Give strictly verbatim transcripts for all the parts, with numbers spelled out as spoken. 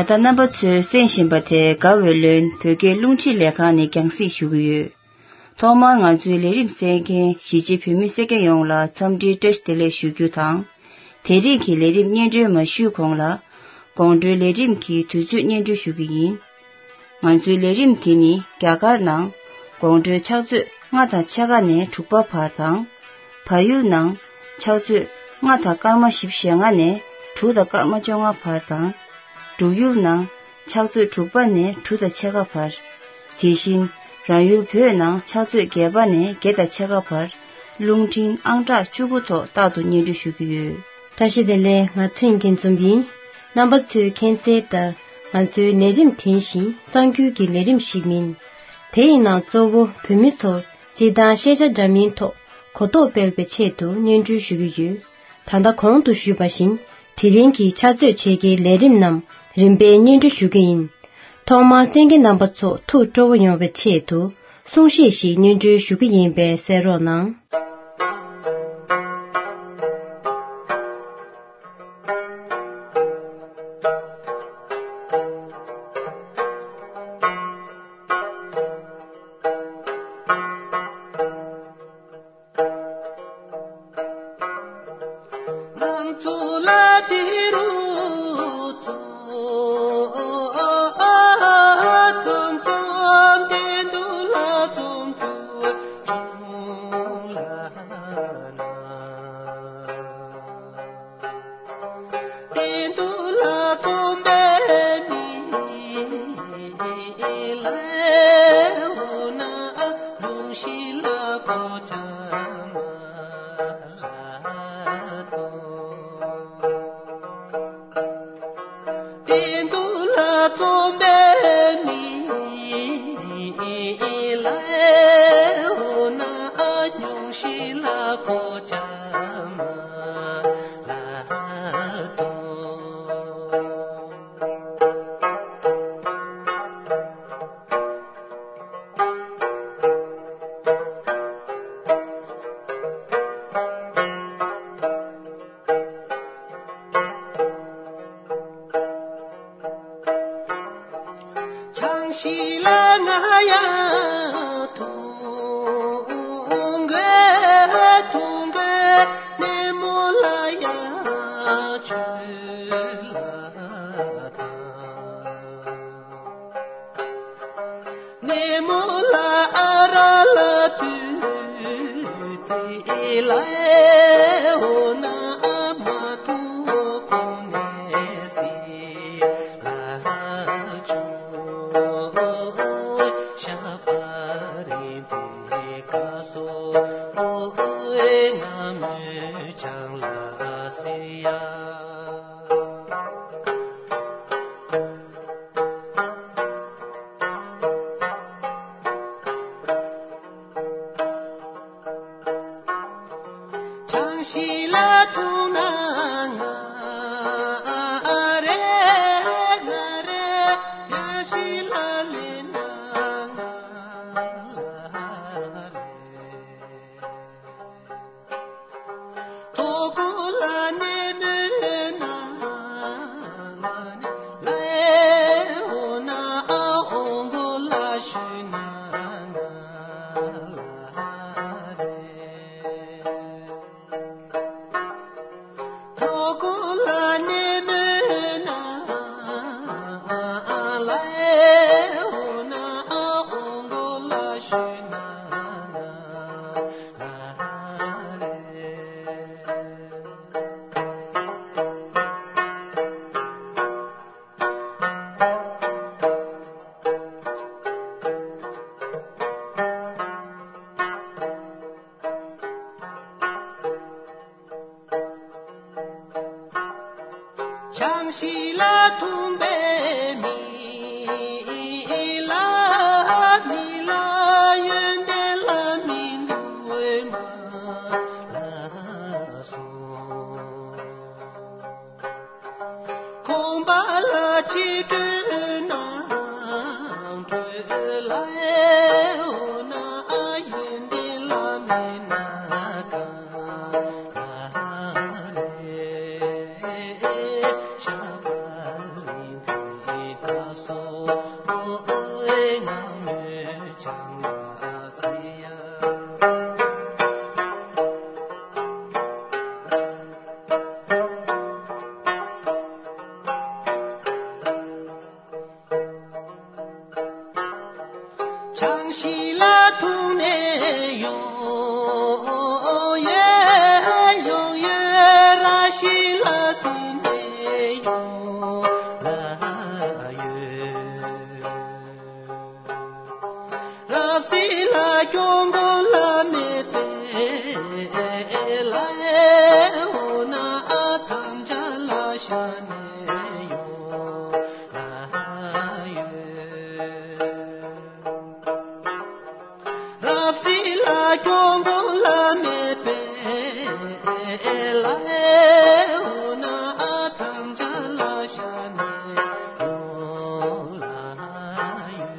ད་རྣམ་པ་ཚོས་གསན་བཞིན་པ་དེ་དགའ་བའི་ལོན་བོད་སྐད་རླུང་འཕྲིན་ལས་ཁང་ནས་རྒྱང་སྲིང་ཞུ་གི་ཡོད། ཐོག་མར་ང་ཚོའི་ལས་རིམ་གསན་མཁན་གཞིས་བྱེས་བོད་མི་སེར་སྐྱ་ཡོངས་ལ་འཚམས་འདྲིའི་བཀྲ་ཤིས་བདེ་ལེགས་ཞུ་རྒྱུ་དང་། དེ་རིང་གི་ལས་རིམ་སྙན་སྒྲོན་མ་ཞུས་གོང་ལ། དགོང་དྲོའི་ལས་རིམ་གྱི་དུས་ཚོད་སྙན་སྒྲོན་ཞུ་གི་ཡིན། ང་ཚོའི་ལས་རིམ་དེ་ནི་རྒྱ་གར་ནང་དགོང་དྲོའི་ཕྱག་ཚོད་ལྔ་དང་ཕྱེད་ཀ་ནས་དྲུག་པ་བར་དང་། བལ་ཡུལ་ནང་ཕྱག་ཚོད་ལྔ་དང་སྐར་མ་བཞི་བཅུ་ཞེ་ལྔ་ནས་དྲུག་དང་སྐར་མ་བཅོ་ལྔ་བར་དང་། འབྲུག་ཡུལ་ནང་ཕྱག་ཚོད་དྲུག་པ་ནས་དྲུག་དང་ཕྱེད་ཀ་བར། དེ་བཞིན་རང་ཡུལ་བོད་ནང་ཕྱག་ཚོད་བརྒྱད་པ་ནས་བརྒྱད་དང་ཕྱེད་ཀ་བར་རླུང་འཕྲིན་ཨང་གྲངས་བཅུ་དགུ་ཐོག་རྟག་ཏུ་སྙན་སྒྲོན་ཞུ་གི་ཡོད། བཀྲ་ཤིས་བདེ་ལེགས། ང་ཚེ་རིང་སྐྱིད་འཛོམས་ཡིན། རྣམ་པ་ཚོས་མཁྱེན་གསལ་ལྟར་ང་ཚོའི་ལས་རིམ་དེ་བཞིན་གསར་འགྱུར་གྱི་ལས་རིམ་ཞིག་མིན། དེ་ཡི་ནང་གཙོ་བོ་བོད་མི་ཚོར་སྤྱིར་བཏང་ཤེས་བྱ་འདྲ་མིན་ཐོག་གོ་རྟོགས་སྤེལ་བའི་ཆེད་དུ་སྙན་སྒྲོན་ཞུ་གི་ཡོད། ད་ལྟ་གོང་དུ་ཞུས་པ་བཞིན་དེ་རིང་གི་ཕྱག་ཚོད་ཕྱེད་ཀའི་ལས་རིམ་རྣམས་རིམ་པས་སྙན་སྒྲོན་ཞུ་གི་ཡིན། ཐོག་མར་གསན་མཁན་རྣམ་པ་ཚོ་ཐུགས་སྤྲོ་བོ་ཡོང་བའི་ཆེད་དུ་གསུང་བཤད་ཞིག་སྙན་སྒྲོན་ཞུ་གི་ཡིན་པས་གསན་རོགས་གནང་། བྱང་ཞིང་ལ་ཐུག་ནས་ཡོང་། ཡེ་ཡོང་ཡེ་ར་ཞིང་ལ་སིང་ནས་ཡོང་ལ་ཡོད། རབ་གསལ་ལ་སྐྱོང་དགོས་ལ་མེད་པས་ལ་འོ་ན་ཨ་ཐམས་ཅད་ལ་ཤ་ནས་ཡོང་ལ་ཡོད། རབ་གསལ་ལ་སྐྱོང་དགོས་ལ་མེད་པས་ལ་འོ་ན་ཨ་ཐམས་ཅད་ལ་ཤ་ནས་ཡོང་ལ་ཡོད།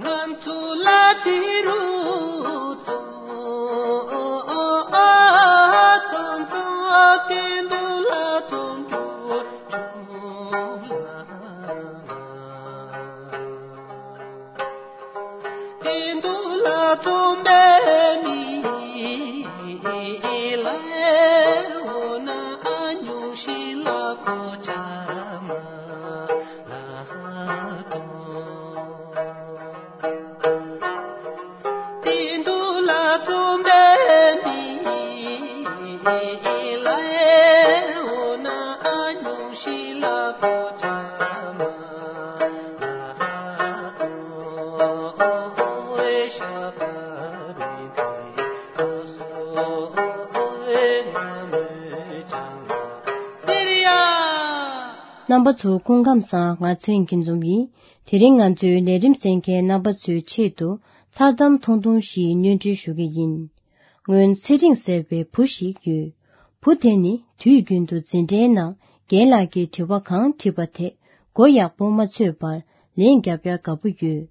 ང་ཚོ་ལ་དེ་རུ་ཚོ་ཚོ་ཚོ་དེ་འདུག་ལ་ཚོ་འགྱུར་བྱུང་ལ། དེ་འདུག་ལ་རྩོམ་པའི་མི་ལ་འོ་ན་ཨ་ཉུང་ཤི་ལ་གོ་ཆ་མ་ལ་དོ། དེ་འདུག་ལ་རྩོམ་པའི་མི་ལ་འོ་ན་ཨ་ཉུང་ཤི་ལ་གོ་ཆ་མ་ལ་དོ། རྣམ་པ་ཚོ་སྐུ་ཁམས་བཟང་། ང་ཚེ་རིང་སྐྱིད་འཛོམས་ཡིན། དེ་རིང་ང་ཚོའི་ལས་རིམ་གསན་མཁན་རྣམ་པ་ཚོའི་ཆེད་དུ་མཚར་གཏམ་ཐུང་ཐུང་ཞིག་སྙན་སྒྲོན་ཞུ་གི་ཡིན། སྔོན་ཚེ་རིང་ཟེར་བའི་བུ་ཞིག་ཡོད། བུ་དེ་ནི་དུས་རྒྱུན་དུ་འཛིན་གྲྭའི་ནང་རྒན་ལགས་ཀྱིས་དྲི་བ་གང་དྲིས་པ་དེ་མགོ་ཡག་པོ་མ་ཚོས་པར་ལན་རྒྱབ་ཡག་དགའ་པོ་ཡོད།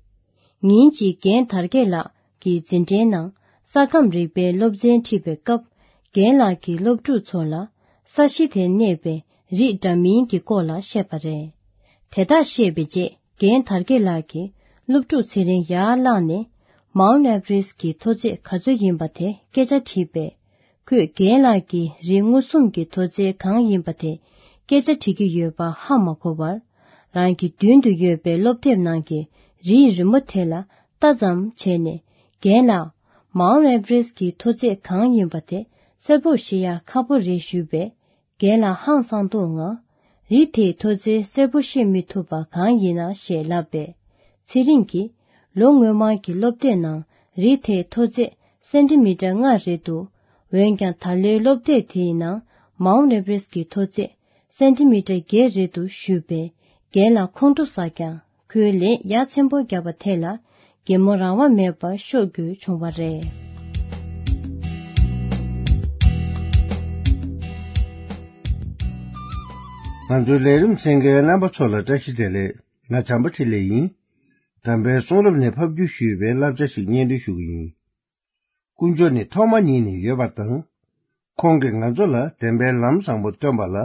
ཉིན་གཅིག་རྒན་དར་རྒྱས་ལགས་ཀྱིས་འཛིན་གྲྭའི་ནང་ས་ཁམས་རིག་པའི་སློབ་ཚན་ཁྲིད་པའི་སྐབས། རྒན་ལགས་ཀྱིས་སློབ་ཕྲུག་ཚོ་ལ་ས་གཞི་དེར་གནས་པའི་རིགས་འདྲ་མིན་གྱི་སྐོར་ལ་བཤད་པ་རེད། དེ་དག་བཤད་པའི་རྗེས་རྒན་དར་རྒྱས་ལགས་ཀྱིས་སློབ་ཕྲུག་ཚེ་རིང་ཡར་བླངས་ནས་མའུན་ཨེ་ཝ་རེ་སི་ཀྱི་མཐོ་ཚད་ག་ཚོད་ཡིན་པ་དེ་སྐད་ཆ་དྲིས་པས། ཁོས་རྒན་ལགས་ཀྱིས་རིགས་མངོན་སུམ་གྱི་མཐོ་ཚད་གང་ཡིན་པ་དེ་སྐད་ཆ་དྲི་གི་ཡོད་པ་ཧ་མ་གོ་བར། རང་གི་མདུན་དུ་ཡོད་པའི་སློབ་དེབ་ནང་གི་རིའི་རི་མོ་དེ་ལ་ལྟ་ཙམ་བྱས་ནས། རྒན་ལགས། མའུན་ཨེ་ཝ་རེ་སི་ཀྱི་མཐོ་ཚད་གང་ཡིན་པ་དེ་གསལ་པོ་ཤེས་ཡག་ཁག་པོ་རེད་ཞུས་པས། རྒན་ལགས་ཧང་སངས་མདོག་ངང་། རི་དེའི་མཐོ་ཚད་གསལ་པོ་ཤེས་མི་ཐུབ་པ་གང་ཡིན་ན་ཞེས་ལབ་པས། ཚེ་རིང་གིས། ལོ་སྔོན་མ་གི་སློབ་དེབ་ནང་རི་དེའི་མཐོ་ཚད་སེན་ཏི་མི་ཊར་ལྔ་རེད་འདུག་འོན་ཀྱང་ད་ལོའི་སློབ་དེབ་དེའི་ནང་མའུན་ཨེ་ཝ་རེ་སི་ཀྱི་མཐོ་ཚད་སེན་ཏི་མི་ཊར་བརྒྱད་རེད་འདུག་ཞུས་པས། རྒན་ལགས་ཁོང་ཁྲོ་ཟ་ཀྱང་། ཁོས་ལན་ཡ་མཚན་པོ་བརྒྱབ་པ་དེ་ལ་གད་མོ་རང་དབང་མེད་པར་ཤོར་དགོས་བྱུང་བ་རེད། ང་ཚོའི་ལས་རིམ་གསན་མཁན་རྣམ་པ་ཚོ་ལ་བཀྲ་ཤིས་བདེ་ལེགས། ང་བྱམས་པ་འཕྲིན་ལས་ཡིན། དམ་པའི་གསུང་རབ་ནས་ཕབ་བསྒྱུར་ཞུས་པའི་བསླབ་བྱ་ཞིག་སྙན་སྒྲོན་ཞུ་གི་ཡིན། དཀོན་མཆོག་ནི་ཐོག་མ་ཉིད་ནས་ཡོད་པ་དང་། ཁོང་གིས་ང་ཚོ་ལ་བདེན་པའི་ལམ་བཟང་པོ་སྟོན་པ་ལ་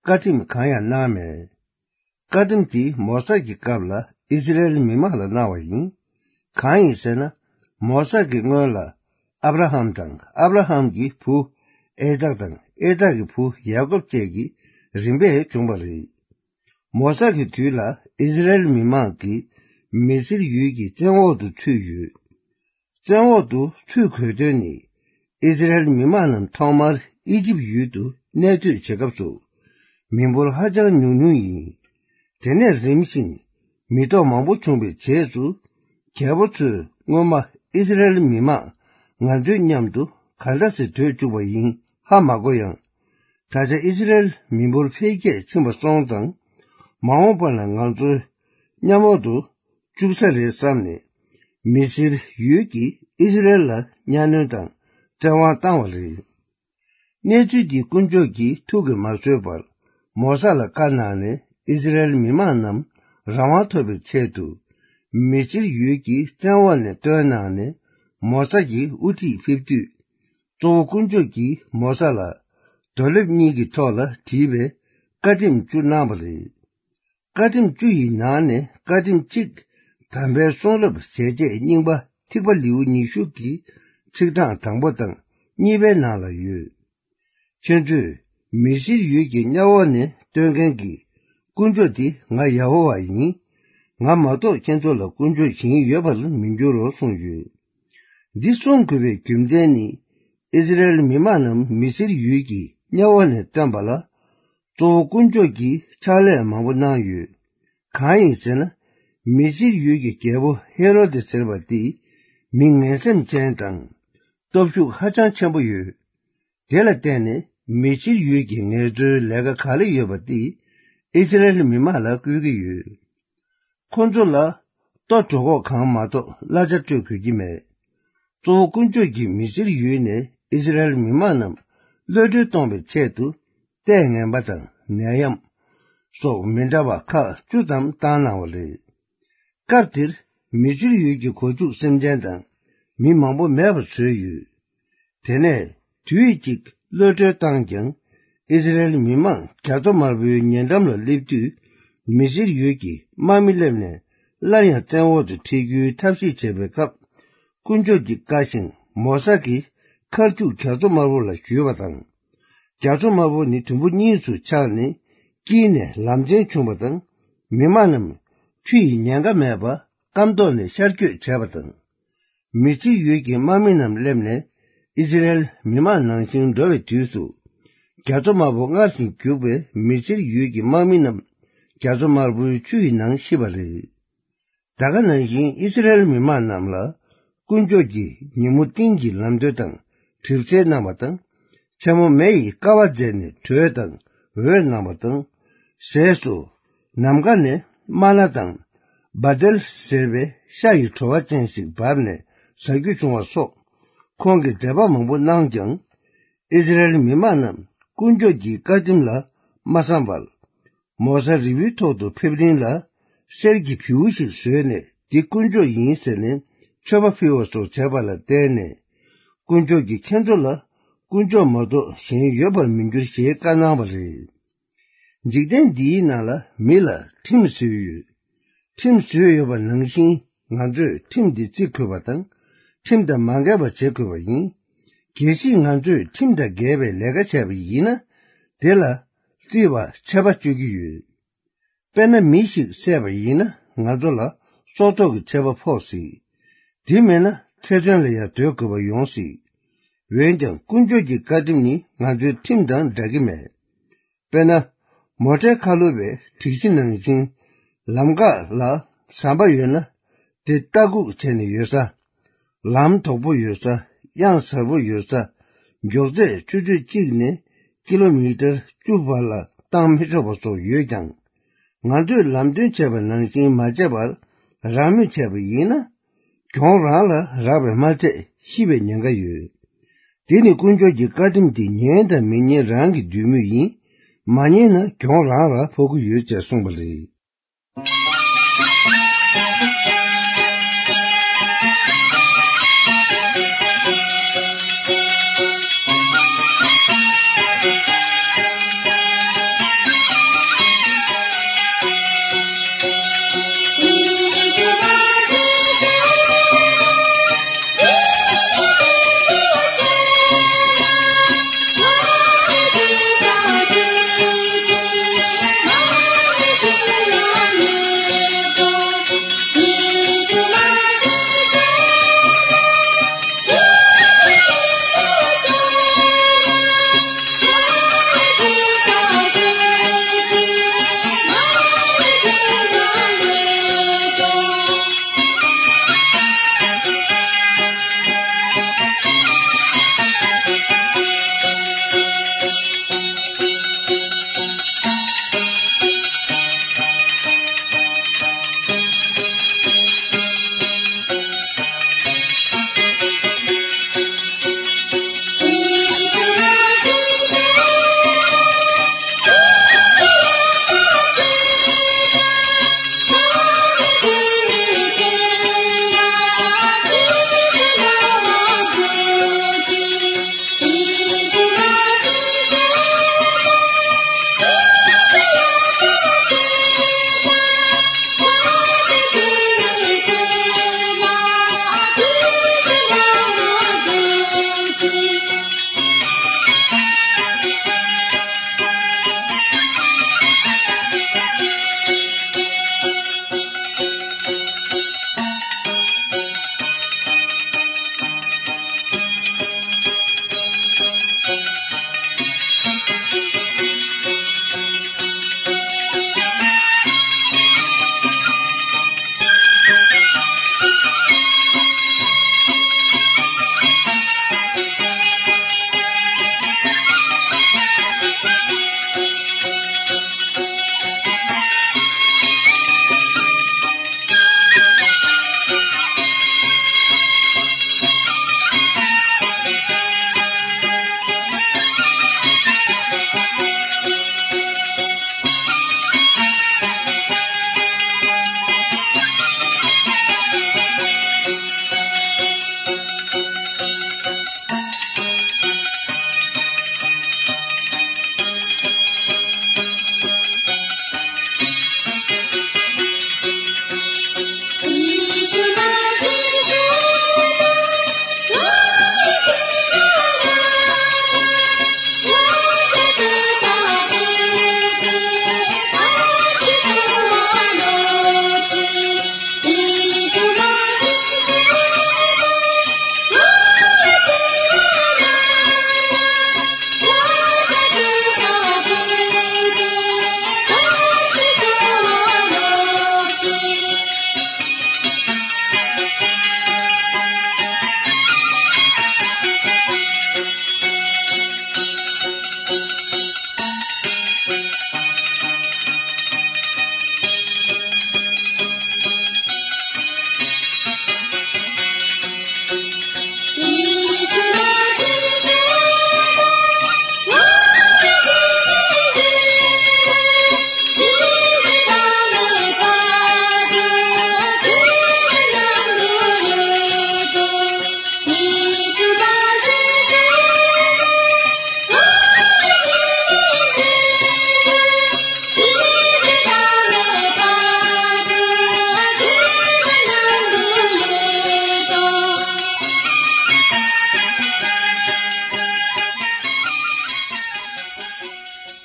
བཀའ་ཁྲིམས་གང་ཡང་གནང་མེད། བཀའ་ཁྲིམས་དེ་མོ་ས་ཀྱི་སྐབས་ལ་ཨི་སི་རེལ་མི་མང་ལ་གནང་བ་ཡིན། གང་ཡིན་ཟེར་ན། མོ་ས་ཀྱི་སྔོན་ལ་ཨབ་ར་ཧམ་དང་ཨབ་ར་ཧམ་གྱི་བུ་ཨེ་ཛག་དང་ཨེ་ཛག་གི་བུ་ཡ་ཀོབ་བཅས་ཀྱི་རིམ་པས་བྱུང་བ་རེད། མོ་ས་ཀྱི་དུས་ལ་ཨི་སི་རེལ་མི་མང་གིས་མི་སིར་ཡུལ་གྱི་བཙན་འོག་ཏུ་ཚུད་ཡོད། བཙན་འོག་ཏུ་ཚུད་དགོས་དོན་ནི། ཨི་སི་རེལ་མི་མང་རྣམས་ཐོག་མར་ཨི་ཇིབ་ཡུལ་དུ་གནས་སྡོད་བྱེད་སྐབས་སུ། མི་འབོར་ཧ་ཅང་ཉུང་ཉུང་ཡིན། དེ་ནས་རིམ་བཞིན་མི་ཐོག་མང་པོ་བྱུང་བའི་རྗེས་སུ། རྒྱལ་པོ་ཚོས་སྔོན་མ་ཨི་སི་རེལ་མི་མང་ང་ཚོའི་མཉམ་དུ་ག་འདྲ་སེ་སྡོད་བཅུག་པ་ཡིན་ཧ་མ་གོ་ཡང་། ད་ཆ་ཨི་སི་རེལ་མི་འབོར་འཕེལ་རྒྱས་ཕྱིན་པ་སོང་ཙང་། མ་འོངས་པ་ལ་ང་ཚོའི་མཉམ་འོག་ཏུ་བཅུག་ས་རེད་བསམ་ནས། མི་སིར་ཡུལ་གྱིས་ཨི་སི་རེལ་ལ་གཉའ་གནོན་དང་བཙན་དབང་བཏང་བ་རེད། གནས་ཚུལ་འདི་དཀོན་མཆོག་གིས་ཐུགས་ཀྱིས་མ་བཟོད་པར་མོ་ས་ལ་བཀའ་གནང་ནས་ཨི་སི་རེལ་མི་མང་རྣམས་རང་དབང་ཐོབ་པའི་ཆེད་དུ། མི་སིར་ཡུལ་གྱི་བཙན་འོག་ནས་བཏོན་གནང་ནས་མོ་ས་ཀྱི་དབུ་ཁྲིད་ཕེབས་དུས། གཙོ་བོ་དཀོན་མཆོག་གིས་མོ་ས་ལ་རྡོ་ལེབ་གཉིས་ཀྱི་ཐོག་ལ་བྲིས་པའི་བཀའ་ཁྲིམས་བཅུ་གནང་བ་རེད། བཀའ་ཁྲིམས་བཅུ་ཡི་ནང་ནས་བཀའ་ཁྲིམས་གཅིག་དམ་པའི་གསུང་རབ་ཞལ་ཆད་རྙིང་པ་ཐིགས་པ་ལེའུ་ཉི་ཤུ་གི་ཚིག་གྲངས་དང་པོ་དང་གཉིས་པའི་ནང་ལ་ཡོད། ཁྱེད་ཚོས་མི་སེར་ཡུལ་གྱི་གཉའ་འོག་ནས་བཏོན་མཁན་གྱི་དཀོན་མཆོག་དེ་ང་ཡ་ཧོ་ཝཱ་ཡིན། ང་མ་གཏོགས་ཁྱེད་ཚོ་ལ་དཀོན་མཆོག་གཞན་ཡོད་པར་མི་འགྱུར་རོ་གསུངས་ཡོད། འདི་གསུང་དགོས་པའི་རྒྱུ་མཚན་ནི། ཨིསི་རཱཨེལ་མི་མང་རྣམས་མི་སེར་ཡུལ་གྱི་གཉའ་འོག་ནས་བཏོན་པ་ལ། གཙོ་བོ་དཀོན་མཆོག་གིས་ཕྱག་ལས་མང་པོ་གནང་ཡོད། གང་ཡིན་ཟེར་ན། མི་སེར་ཡུལ་གྱི་རྒྱལ་པོ་ཧེ་རོ་དེ་ཟེར་བ་དེ་མི་ངན་སེམས་ཅན་དང་། སྟོབས་ཤུགས་ཧ་ཅང་ཆེན་པོ་ཡོད། དེ་ལ་བརྟེན་ནས་མི་སེར་ཡུལ་གྱི་ངལ་རྩོལ་ལས་ཀ་ག་ལེ་ཡོད་པ་དེ་ཨིསི་རཱཨེལ་མི་མང་ལ་བསྐུལ་གྱི་ཡོད། ཁོ་ཚོ་ལ་ལྟོ་གྲོད་ཁོག་གང་མ་གཏོགས་གླ་ཆ་སྤྲོད་དགོས་ཀྱི་མེད། གཙོ་བོ་དཀོན་མཆོག་གིས་མི་སེར་ཡུལ་ནས་ཨིསི་རཱཨེལ་མི་མང་རྣམས་གློད་གྲོལ་གཏོང་བའི་ཆེད་དུ། ལྟས་ངན་པ་དང་ནད་ཡམས་སོགས་མི་འདྲ་བ་ཁག་བཅུ་ཙམ་བཏང་གནང་བ་རེད། སྐབས་དེར་མི་སེར་ཡུལ་གྱི་སྒོ་ཕྱུགས་སེམས་ཅན་དང་མི་མང་པོ་མེད་པ་བཟོས་ཡོད། དེ་ནས་དུས་གཅིག་གློད་གྲོལ་བཏང་ཀྱང་། ཨིསི་རཱཨེལ་མི་མང་རྒྱ་མཚོ་དམར་པོའི་ཉེ་འགྲམ་ལ་སླེབས་དུས། མི་སེར་ཡུལ་གྱི་དམག་མི་སླེབས་ནས་སླར་ཡང་བཙན་འོག་ཏུ་ཁྲིད་རྒྱུའི་ཐབས་ཤེས་བྱེད་པའི་སྐབས། དཀོན་མཆོག་གི་བཀའ་བཞིན་མོ་ས་གིས་མཁར་ཆུ་རྒྱ་མཚོ་དམར་པོ་ལ་བཞུས་པ་དང་། རྒྱ་མཚོ་དམར་པོ་ནི་དུམ་བུ་གཉིས་སུ་ཆག་ནས་དཀྱིལ་ནས་ལམ་ཆེན་བྱུང་བ་དང་། མི་མང་རྣམས་ཆུ་ཡི་ཉེན་ཁ་མེད་པར་སྐམ་ཐོག་ནས་ཤར་བསྐྱོད་བྱས་པ་དང་། མི་སེར་ཡུལ་གྱི་དམག་མི་རྣམས་སླེབས་ནས་ཨིསི་རཱཨེལ་མི་མང་ནང་བཞིན་འགྲོ་བའི་དུས་སུ། རྒྱ་མཚོ་དམར་པོ་སྔར་བཞིན་རྒྱུག་པས་མི་སེར་ཡུལ་གྱི་དམག་མི་རྣམས་རྒྱ་མཚོ་དམར་པོའི་ཆུ་ཡི་ནང་ཤི་བ་རེད། ད་ག་ནང་བཞིན་ཨིསི་རཱཨེལ་མི་མང་རྣམས་ལ་དཀོན་མཆོག་གིས་ཉིན་མོ་ཏིང་གི་ལམ་སྟོན་དང་གྲིབ་བསིལ་གནང་བ་དང་། མཚན་མོ་མེ་ཡིས་ཀ་བ་མཛད་ནས་དྲོད་དང་འོད་གནང་བ་དང་། ཟས་སུ་ནམ་མཁའ་ནས་མ་ན་དང་། བ་དེལ་ཟེར་བའི་ཤ་ཡི་བྲོ་བ་ཅན་ཞིག་བབས་ནས་ཟ་རྒྱུ་བྱུང་བ་སོགས། ཁོང་གིས་མཛད་པ་མང་པོ་གནང་ཀྱང་། ཨིསི་རཱཨེལ་མི་མང་རྣམས་དཀོན་མཆོག་གི་བཀའ་ཁྲིམས་ལ་མ་བསམ་པར། མོ་ས་རི་བོའི་ཐོག་ཏུ་ཕེབས་རིང་ལ། གསེར་གྱི་བེའུ་ཞིག་བཟོས་ནས་འདི་དཀོན་མཆོག་ཡིན་ཟེར་ནས་མཆོད་པ་ཕུལ་བ་སོགས་བྱས་པ་ལ་བརྟེན་ནས། དཀོན་མཆོག་གིས་ཁྱེད་ཚོ་ལ་དཀོན་མཆོག་མ་གཏོགས་གཞན་ཡོད་པར་མི་འགྱུར་ཞེས་བཀའ་གནང་བ་རེད། འཇིག་རྟེན་འདིའི་ནང་ལ་མི་ལ་ཁྲིམས་བཟོས་ཡོད། ཁྲིམས་བཟོས་ཡོད་པ་ནང་བཞིན་ང་ཚོས་ཁྲིམས་འདི་བརྩི་དགོས་པ་དང་། ཁྲིམས་དང་མ་འགལ་བ་བྱེད་དགོས་པ་ཡིན། གལ་སྲིད་ང་ཚོས་ཁྲིམས་དང་འགལ་བའི་ལས་ཀ་བྱས་པ་ཡིན་ན། དེ་ལ་བརྩི་བ་ཆད་པ་གཅོད་ཀྱི་ཡོད། དཔེར་ན་མི་ཞིག་བསད་པ་ཡིན་ན་ང་ཚོ་ལ་སྲོག་ཐོག་གི་ཆད་པ་ཕོག་སྲིད། དེ་མེད་ན་ཚེ་བཙོན་ལ་ཡང་སྡོད་དགོས་པ་ཡོང་སྲིད། འོན་ཀྱང་དཀོན་མཆོག་གི་བཀའ་ཁྲིམས་ནི་ང་ཚོའི་ཁྲིམས་དང་འདྲ་གི་མེད། དཔེར་ན། མོ་ཊའི་ཁ་ལོ་བའི་སྒྲིག་གཞི་ནང་བཞིན། ལམ་ཁ་ལ་ཟམ་པ་ཡོད་ན། དེ་ལྟ་སྒུག་བྱས་ནས་ཡོད་ས། ལམ་དོག་པོ་ཡོད་ས། གཡང་གཟར་པོ་ཡོད་ས། མགྱོགས་ཚད་ཆུ་ཚོད་གཅིག་ནས་ཀི་ལོ་མི་ཊར་བཅུ་བར་ལ་བཏང་མི་ཆོག་པ་སོགས་ཡོད་ཀྱང་། ང་ཚོས་ལམ་སྟོན་བྱས་པ་ནང་བཞིན་མ་བྱས་པར་རང་མོས་བྱས་པ་ཡིན་ན། གྱོང་རང་ལ་རག་པས་མ་ཚད་ཤི་བའི་ཉེན་ཁ་ཡོད། དེ་ནི་དཀོན་མཆོག་གི་བཀའ་ཁྲིམས་དེ་ཉན་དང་མི་ཉན་རང་གི་འདོད་མོས་ཡིན། མ་ཉན་ན་གྱོང་རང་ལ་ཕོག་གི་ཡོད་ཅེས་གསུངས་པ་རེད།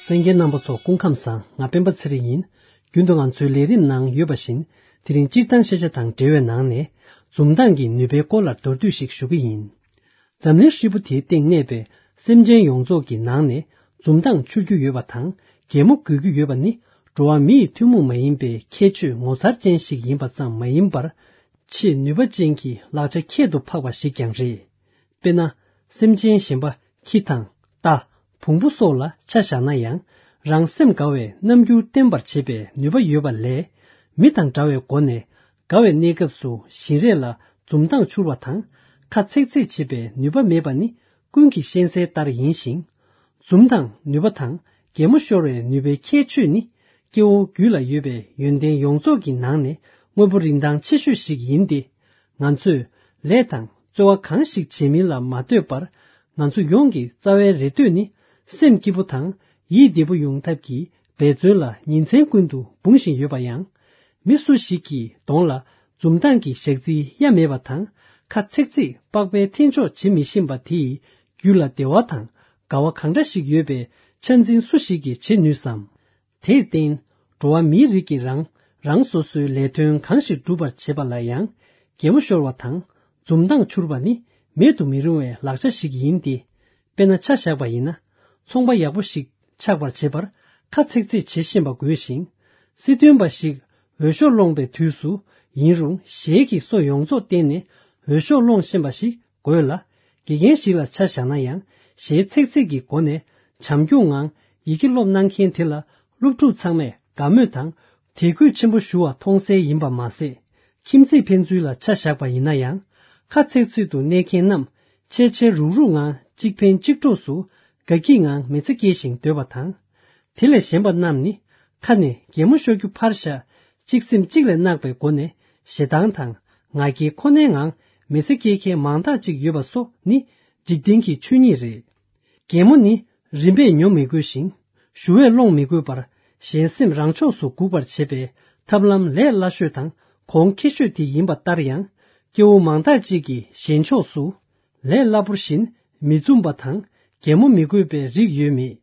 གསན་མཁན་རྣམ་པ་ཚོ་སྐུ་ཁམས་བཟང་། ང་སྤེན་པ་ཚེ་རིང་ཡིན། རྒྱུན་དུ་ང་ཚོའི་ལས་རིམ་ནང་ཡོད་པ་བཞིན། དེ་རིང་སྤྱིར་བཏང་ཤེས་བྱ་དང་འབྲེལ་བའི་ནང་ནས། འཛུམ་མདངས་ཀྱི་ནུས་པའི་སྐོར་ལ་མདོར་བསྡུས་ཤིག་ཞུ་གི་ཡིན། འཛམ་གླིང་ཧྲིལ་པོ་དེའི་སྟེང་གནས་པའི་སེམས་ཅན་ཡོངས་རྫོགས་ཀྱི་ནང་ནས། འཛུམ་མདངས་འཕྱུར་རྒྱུ་ཡོད་པ་དང་། གད་མོ་དགོད་རྒྱུ་ཡོད་པ་ནི། འགྲོ་བ་མི་ཡི་ཐུན་མོང་མ་ཡིན་པའི་ཁྱད་ཆོས་ངོ་མཚར་ཅན་ཞིག་ཡིན་པ་ཙམ་མ་ཡིན་པར། ཆེས་ནུས་པ་ཅན་གྱི་ལག་ཆ་ཁྱད་དུ་འཕགས་པ་ཞིག་ཀྱང་རེད། དཔེར་ན། སེམས་ཅན་གཞན་པ་ཁྱི་དང་། རྟ། བོང་བུ་སོགས་ལ་ཆ་བཞག་ན་ཡང་། རང་སེམས་དགའ་བའི་རྣམ་འགྱུར་བསྟན་པར་བྱེད་པའི་ནུས་པ་ཡོད་པ་ལས། མི་དང་འདྲ་བའི་སྒོ་ནས། དགའ་བའི་གནས་སྐབས་སུ་བཞིན་རས་ལ་འཛུམ་མདངས་འཕྱུར་བ་དང་། ཁ་ཚེག་ཚེག་བྱེད་པའི་ནུས་པ་མེད་པ་ནི། ཀུན་གྱིས་ཤེས་གསལ་ལྟར་ཡིན་ཞིང་། འཛུམ་མདངས་ནུས་པ་དང་། གད་མོ་ཤོར་བའི་ནུས་པའི་ཁྱད་ཆོས་ནི། སྐྱེ་བོ་རྒྱུད་ལ་ཡོད་པའི་ཡོན་ཏན་ཡོངས་རྫོགས་ཀྱི་ནང་ནས་དངོས་པོ་རིན་ཐང་ཆེ་ཤོས་ཤིག་ཡིན་ཏེ། ང་ཚོས་ལས་དང་རྩོལ་བ་གང་ཞིག་བྱེད་མིན་ལ་མ་ལྟོས་པར། ང་ཚོ་ཡོངས་ཀྱི་རྩ་བའི་རེ་འདོད་ནི། སེམས་སྐྱིད་པོ་དང་ཡིད་བདེ་པོ་ཡོང་ཐབས་ཀྱི་འབད་བརྩོན་ལ་ཉིན་མཚན་ཀུན་ཏུ་འབུང་བཞིན་ཡོད་པ་ཡང་། མི་སུ་ཞིག་གི་གདོང་ལ་འཛུམ་མདངས་ཀྱི་ཞག་རྩིའི་གཡའ་མེད་པ་དང་། ཁ་ཚེག་ཚེག་པགས་པའི་འཐེན་འཇོག་བྱེད་མི་ཤེས་པ་དེ་ཡི་རྒྱུད་ལ་བདེ་བ་དང་དགའ་བ་གང་འདྲ་ཞིག་ཡོད་པའི་ཆ་འཛིན་སུ་ཞིག་གིས་བྱེད་ནུས་སམ། དེར་བརྟེན། འགྲོ་བ་མིའི་རིགས་ཀྱིས་རང་རང་སོ་སོའི་ལས་དོན་གང་ཞིག་སྒྲུབ་པར་བྱེད་པ་ལ་ཡང་། གད་མོ་ཤོར་བ་དང་འཛུམ་མདངས་འཕྱུར་བ་ནི་མེད་དུ་མི་རུང་བའི་ལག་ཆ་ཞིག་ཡིན་ཏེ། དཔེར་ན་ཆ་བཞག་པ་ཡིན་ན། ཚོང་པ་ཡག་པོ་ཞིག་ཆགས་པར་བྱེད་པར་ཁ་ཚེག་ཚེག་བྱེད་ཤེས་པ་དགོས་ཤིང་། སྲིད་དོན་པ་ཞིག་འོས་ཤོག་སློང་པའི་དུས་སུ་ཡིན་རུང་། ཞལ་གྱིས་སོ་ཡོངས་རྫོགས་བསྟན་ནས་འོས་ཤོག་སློང་ཤེས་པ་ཞིག་དགོས་ལ། དགེ་རྒན་ཞིག་ལ་ཆ་བཞག་ན་ཡང་། ཞལ་ཚེག་ཚེག་གི་སྒོ་ནས་བྱམས་སྐྱོང་ངང་ཡི་གེ་སློབ་གནང་མཁན་དེ་ལ། སློབ་ཕྲུག་ཚང་མས་དགའ་མོས་དང་དད་གུས་ཆེན་པོ་ཞུ་བ་མཐོང་གསལ་ཡིན་པ་མ་ཟད། ཁྱིམ་མཚེས་ཕན་ཚུན་ལ་ཆ་བཞག་པ་ཡིན་ན་ཡང་། ཁ་ཚེག་ཚེག་ཏུ་གནས་མཁན་རྣམས་འཆལ་འཆལ་རུག་རུག་ངང་གཅིག་ཕན་གཅིག་གྲོགས་སུ་དགའ་སྐྱིད་ངང་མི་ཚེ་སྐྱེལ་ཞིང་སྡོད་པ་དང་། དེ་ལས་གཞན་པ་རྣམས་ནི་ཁ་ནས་གད་མོ་ཤོར་རྒྱུ་ཕར་བཞག་གཅིག་སེམས་གཅིག་ལ་བརྣག་པའི་སྒོ་ནས་ཞེ་སྡང་དང་ང་རྒྱལ་ཁོ་ནའི་ངང་མི་ཚེ་སྐྱེལ་མཁན་མང་དག་ཅིག་ཡོད་པ་སོགས་ནི་འཇིག་རྟེན་གྱི་ཆོས་ཉིད་རེད། གད་མོ་ནི་རིམ་པས་ཉོ་མི་དགོས་ཤིང་ཞུ་བས་སློང་མི་དགོས་པར་གཞན་སེམས་རང་ཕྱོགས་སུ་འགུག་པར་བྱེད་པའི་ཐབས་ལམ་ལས་སླ་ཤོས་དང་གོང་ཁེ་ཤོས་དེ་ཡིན་པ་ལྟར་ཡང་། སྐྱེ་བོ་མང་དག་ཅིག་གིས་གཞན་ཕྱོགས་སུ་ལས་སླ་པོར་བཞིན་མི་འཛུམ་པ་དང་གད་མོ་མི་དགོས་པའི་རིགས་ཡོད་མེད།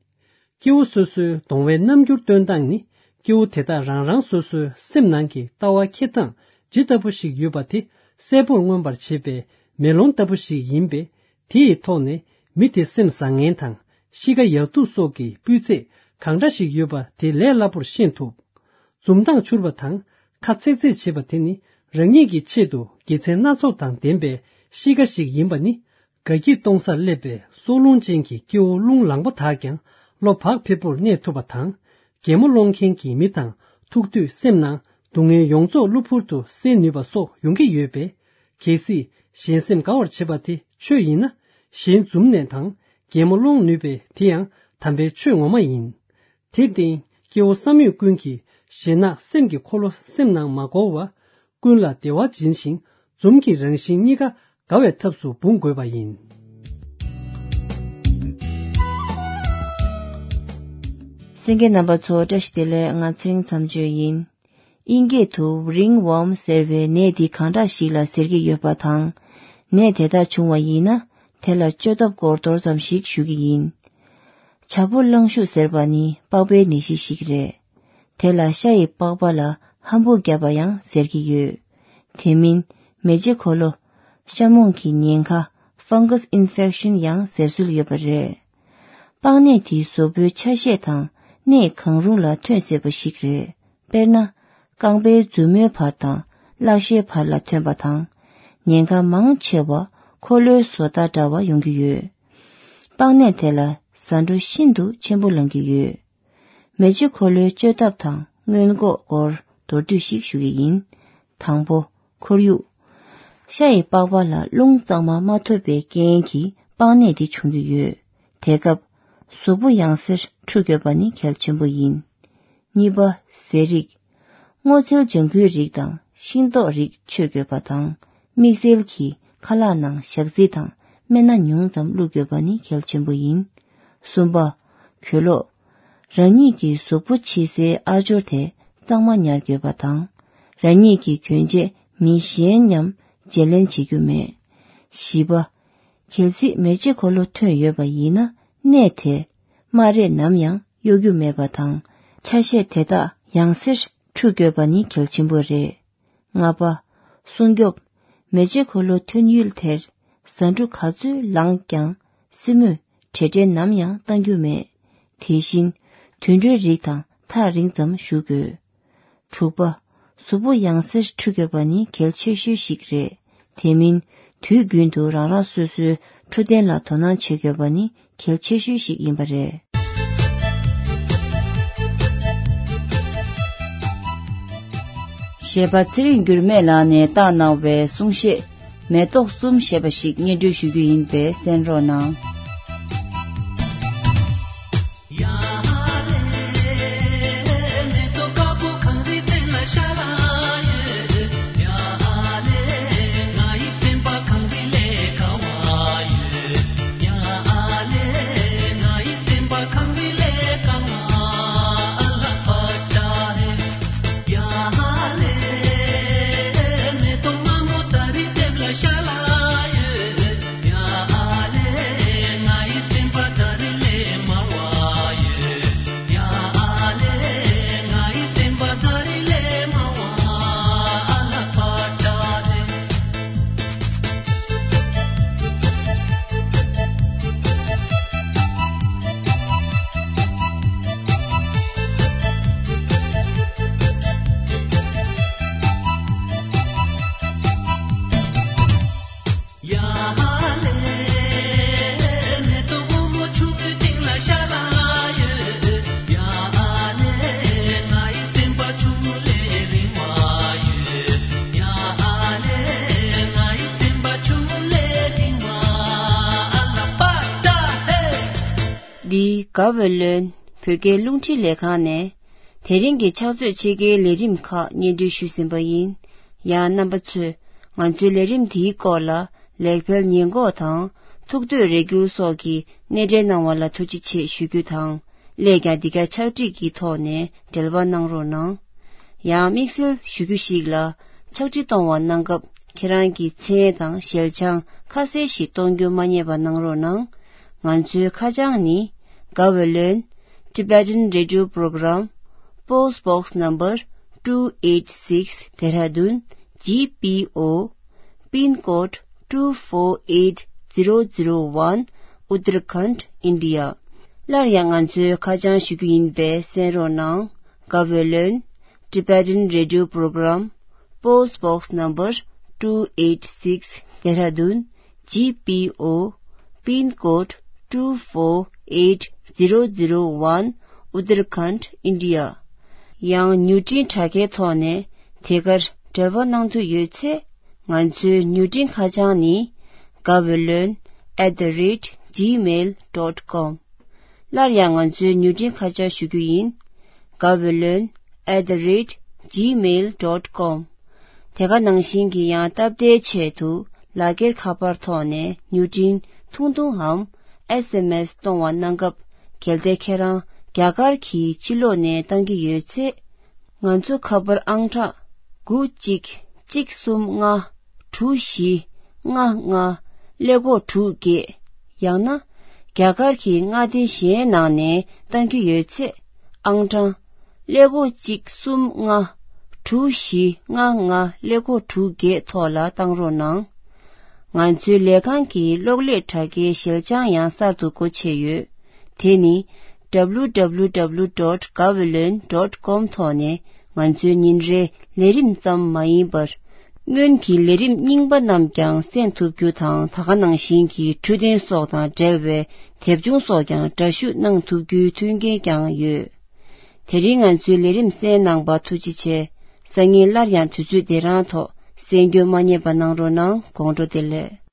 སྐྱེ་བོ་སོ་སོའི་གདོང་བའི་རྣམ་འགྱུར་སྟོན་སྟངས་ནི། སྐྱེ་བོ་དེ་དག་རང་རང་སོ་སོའི་སེམས་ནང་གི་ལྟ་བ་འཁྱེར་སྟངས་ཇི་ལྟ་བུ་ཞིག་ཡོད་པ་དེ་གསལ་པོར་མངོན་པར་བྱེད་པའི་མེ་ལོང་ལྟ་བུ་ཞིག་ཡིན་པས། དེ་ཡི་ཐོག་ནས་མི་དེ་སེམས་བཟང་ངན་དང་གཤིས་ཀ་ཡག་སྡུག་སོགས་ཀྱི་སྤུས་ཚད་གང་འདྲ་ཞིག་ཡོད་པ་དེ་ལས་སླ་པོར་ཤེས་ཐུབ། འཛུམ་མདངས་འཕྱུར་བ་དང་ཁ་ཚེག་ཚེག་བྱེད་པ་དེ་ནི་རང་ཉིད་ཀྱི་ཆེད་དུ་དགེ་མཚན་སྣ་ཚོགས་དང་ལྡན་པའི་གཤིས་ཀ་ཞིག་ཡིན་པ་ནི། དགའ་སྐྱིད་གཏོང་སར་སླེབས་པའི་སྲོག་རླུང་ཅན་གྱི་སྐྱེ་བོ་རླུང་ལངས་པོ་དག་ཀྱང་བློ་བག་ཕེབས་པོར་གནས་ཐུབ་པ་དང་། གད་མོ་སློང་མཁན་གྱི་མི་དང་ཐུག་དུས་སེམས་ནང་སྡུག་བསྔལ་ཡོངས་རྫོགས་གློ་བུར་དུ་སེལ་ནུས་པ་སོགས་ཡོང་གི་ཡོད་པས། གལ་སྲིད་གཞན་སེམས་དགའ་བར་བྱེད་པ་དེ་ཆོས་ཡིན་ན། གཞན་འཛུམ་ནས་དང་གད་མོ་སློང་ནུས་པས་དེ་ཡང་དམ་པའི་ཆོས་ངོ་མ་ཡིན། དེར་བརྟེན་སྐྱེ་བོ་བསམ་ཡོད་ཀུན་གྱིས་ཞེ་གནག་སེམས་ཀྱི་འཁོར་ལོ་སེམས་ནང་མ་བསྐོར་བར། ཀུན་ལ་བདེ་བ་སྦྱིན་ཞིང་འཛུམ་གྱི་རང་བཞིན་གཉིས་ཀ་དགའ་བའི་ཐབས་སུ་འབུང་དགོས་པ་ཡིན། གསན་མཁན་རྣམ་པ་ཚོ་བཀྲ་ཤིས་བདེ་ལེགས། ང་ཚེ་རིང་མཚམས་གཅོད་ཡིན། དབྱིན་སྐད་དུ་ring worm ཟེར་བའི་ནད་འདི་གང་འདྲ་ཞིག་ལ་ཟེར་གྱི་ཡོད་པ་དང་། ནད་དེ་དག་བྱུང་བ་ཡིན་ན་དེ་ལ་བཅོས་ཐབས་སྐོར་མདོར་ཙམ་ཞིག་ཞུ་གི་ཡིན། བྱ་ཕོ་གླང་ཤུག་ཟེར་བ་ནི་པགས་པའི་ནད་གཞི་ཞིག་རེད། དེ་ལ་ཤ་ཡི་པགས་པ་ལ་ཧམ་བུ་བརྒྱབ་པ་ཡང་ཟེར་གྱི་ཡོད། དེ་མིན་མེ་ལྕེ་འཁོར་ལོ། ཤ་མོང་གི་ཉེན་ཁ། fungus infection ཡང་ཟེར་སྲོལ་ཡོད་པ་རེད། པགས་ནད་དེ་གཟུགས་པོའི་ཆ་ཤས་དང་གནས་གང་རུང་ལ་ཐོན་སྲིད་པ་ཞིག་རེད། དཔེར་ན། རྐང་པའི་མཛུབ་མོའི་བར་དང་ཀླད་ཤའི་བར་ལ་ཐོན་པ་དང་། ཉེན་ཁ་མང་ཆེ་བ་འཁོར་ལོའི་བཟོ་ལྟ་འདྲ་བ་ཡོང་གི་ཡོད། པགས་ནད་དེ་ལ་ཟ་འཕྲུག་ཤིན་ཏུ་ཆེན་པོ་ལངས་ཀྱི་ཡོད། མེ་ལྕེ་འཁོར་ལོའི་བཅོས་ཐབས་དང་སྔོན་འགོག་སྐོར་མདོར་བསྡུས་ཤིག་ཞུ་གི་ཡིན། དང་པོ། ཁོར་ཡུག་ཤ་ཡི་པགས་པ་ལ་རླུང་གཙང་མ་མ་ཐོབ་པའི་རྐྱེན་གྱིས་པགས་ནད་འདི་བྱུང་གི་ཡོད། དེ་སྐབས་གཟུགས་པོ་ཡང་སེར་འཁྲུ་དགོས་པ་ནི་གལ་ཆེན་པོ་ཡིན། གཉིས་པ། ཟས་རིགས། སྔོ་ཚལ་ལྗང་ཁུའི་རིགས་དང་ཤིང་ཏོག་རིགས་མཆོད་དགོས་པ་དང་། དམིགས་བསལ་གྱིས་ཁ་ལག་ནང་ཞག་རྩི་དང་སྨན་སྣ་ཉུང་ཙམ་བླུགས་དགོས་པ་ནི་གལ་ཆེན་པོ་ཡིན། གསུམ་པ། གོས་ལོག་རང་ཉིད་ཀྱི་གཟུགས་པོ་ཕྱི་གསལ་ཨ་སྦྱོར་དེ་གཙང་མ་ཉར་དགོས་པ་དང་། རང་ཉིད་ཀྱི་གྱོན་ཆས་མི་གཞན་མཉམ་བརྗེ་ལེན་བྱེད་རྒྱུ་མེད། བཞི་པ། གལ་སྲིད་མེ་ལྕེ་འཁོར་ལོ་ཐོན་ཡོད་པ་ཡིན་ན་ནད་དེ་སྨ་རས་ནམ་ཡང་ གཡོ་སྒྱུ་མེད་པ་དང་། ཆ་ཤས་དེ་དག་ཡང་སེར་འཁྲུ་དགོས་པ་ནི་གལ་ཆེན་པོ་རེད། ལྔ་པ། སྲུང་སྐྱོབ། མེ་ལྕེ་འཁོར་ལོ་ཐོན་ཡུལ་དེར་ཟ་འབྲུ་ག་ཚོད་ལངས་ཀྱང་སྲིན་མོས་བྲེལ་བྲེལ་ནམ་ཡང་གཏང་རྒྱུ་མེད། དེ་བཞིན་དུད་འགྲོའི་རིགས་དང་ཐག་རིང་ཙམ་བཞུགས་དགོས། དྲུག་པ། གཟུགས་པོ་ཡང་སེར་འཁྲུ་དགོས་པ་ནི་གལ་ཆེ་ཤོས་ཤིག་རེད། དེ་མིན་དུས་རྒྱུན་དུ་རང་རང་སོ་སོའི་འཕྲོད་བསྟེན་ལ་དོ་སྣང་བྱེད་དགོས་པ་ནི་གལ་ཆེ་ཤོས་ཤིག་ཡིན་པ་རེད། གཞས་པ་ཚེ་རིང་འགྱུར་མེད་ལགས་ནས་བཏང་གནང་བའི་གསུང་བཤད། མེ་ཏོག་གསུམ་ཞེས་པ་ཞིག་སྙན་སྒྲོན་ཞུ་རྒྱུ་ཡིན་པས་གསན་རོགས་གནང་། འདི་དགའ་བའི་ལོན་བོད་སྐད་རླུང་འཕྲིན་ལས་ཁང་ནས། དེ་རིང་གི་ཕྱག་ཚོད་ཕྱེད་ཀའི་ལས་རིམ་ཁག་སྙན་སྒྲོན་ཞུས་ཟིན་པ་ཡིན། ཡང་རྣམ་པ་ཚོས་ང་ཚོའི་ལས་རིམ་འདིའི་སྐོར་ལ་ལེགས་སྤེལ་ཉེས་འགོག་དང་ཐུགས་འདོད་རེ་སྐུལ་སོགས་ཀྱི་སྣེ་འདྲེན་གནང་བ་ལ་ཐུགས་རྗེ་ཆེ་ཞུ་རྒྱུ་དང་། སླད་ཀྱང་འདི་ག་ཕྱག་བྲིས་ཀྱི་ཐོག་ནས་འབྲེལ་བ་གནང་རོགས་གནང་། ཡང་དམིགས་བསལ་ཞུ་རྒྱུ་ཞིག་ལ། ཕྱག་བྲིས་གཏོང་བ་གནང་སྐབས་ཁྱེད་རང་གི་མཚན་དང་ཞལ་བྱང་ཁ་གསལ་ཞིག་གཏོང་རྒྱུ་མ་བསྙེལ་བ་གནང་རོགས་གནང་། ང་ཚོའི་ཁ་བྱང་ནི། དགའ་བའི་ལོན། Tibetan Radio Program, Post Box Number two eight six, Dehradun, G P O, Pin Code two four eight zero zero one, Uttarakhand, India. སླར་ཡང་ང་ཚོའི་ཁ་བྱང་ཞུ་རྒྱུ་ཡིན་པས་གསན་རོགས་གནང་། དགའ་བའི་ལོན། Tibetan Radio Program, Post Box Number two eight six, Dehradun, G P O, Pin Code two four eight zero zero one, Uttarakhand, India. ཡང་མྱུར་འཕྲིན་དྲ་རྒྱའི་ཐོག་ནས་དེ་གར་འབྲེལ་བ་གནང་འདོད་ཡོད་ཚེ། ང་ཚོའི་མྱུར་འཕྲིན་ཁ་བྱང་ནི། དགའ་བའི་ལོན་at the rate gmail dot com། སླར་ཡང་ང་ཚོའི་མྱུར་འཕྲིན་ཁ་བྱང་ཞུ་རྒྱུ་ཡིན། དགའ་བའི་ལོན་at the rate gmail dot com། དེ་ག་ནང་བཞིན་གྱི་ཡང་སྟབས་བདེའི་ཆེད་དུ་ལག་འཁྱེར་ཁ་པར་ཐོག་ནས་མྱུར་འཕྲིན་ཐུང་ཐུང་འམ་S M S་གཏོང་བ་གནང་སྐབས། གལ་ཏེ་ཁྱེད་རང་རྒྱ་གར་གྱི་ཕྱི་ལོགས་ནས་བཏང་གི་ཡོད་ཚེ། ང་ཚོ་ཁ་པར་ཨང་གྲངས་དགུ་གཅིག་གཅིག་གསུམ་ལྔ་དྲུག་བཞི་ལྔ་ལྔ་ཀླད་ཀོར་དྲུག་བརྒྱད། ཡང་ན། རྒྱ་གར་གྱི་མངའ་སྡེ་གཞན་ནང་ནས་བཏང་གི་ཡོད་ཚེ། ཨང་གྲངས་ཀླད་ཀོར་གཅིག་གསུམ་ལྔ་དྲུག་བཞི་ལྔ་ལྔ་ཀླད་ཀོར་དྲུག་བརྒྱད་ཐོག་ལ་བཏང་རོགས་གནང་། ང་ཚོའི་ལས་ཁང་གི་གློག་ཀླད་དྲ་རྒྱའི་ཞལ་བྱང་ཡང་གསར་དུ་སྒོ་ཕྱེ་ཡོད། དེ་ནི། W W W dot gaweylon dot com ཐོག་ནས་ང་ཚོའི་ཉིན་རེའི་ལས་རིམ་ཙམ་མ་ཡིན་པར། སྔོན་གྱི་ལས་རིམ་རྙིང་པ་རྣམས་ཀྱང་གསན་ཐུབ་རྒྱུ་དང་། ད་ག་ནང་བཞིན་གྱི་འཕྲོད་བསྟེན་སོགས་དང་འབྲེལ་བའི་དེབ་ཆུང་སོགས་ཀྱང་འདྲ་བཤུས་གནང་ཐུབ་རྒྱུའི་མཐུན་རྐྱེན་ཀྱང་ཡོད། དེ་རིང་ང་ཚོའི་ལས་རིམ་གསན་གནང་བར་ཐུགས་རྗེ་ཆེ། སང་ཉིན་སླར་ཡང་དུས་ཚོད་འདི་རང་ཐོག་གསན་རྒྱུ་མ་བསྙེལ་བ་གནང་རོགས་གནང་། དགོང་དྲོ་བདེ་ལེགས།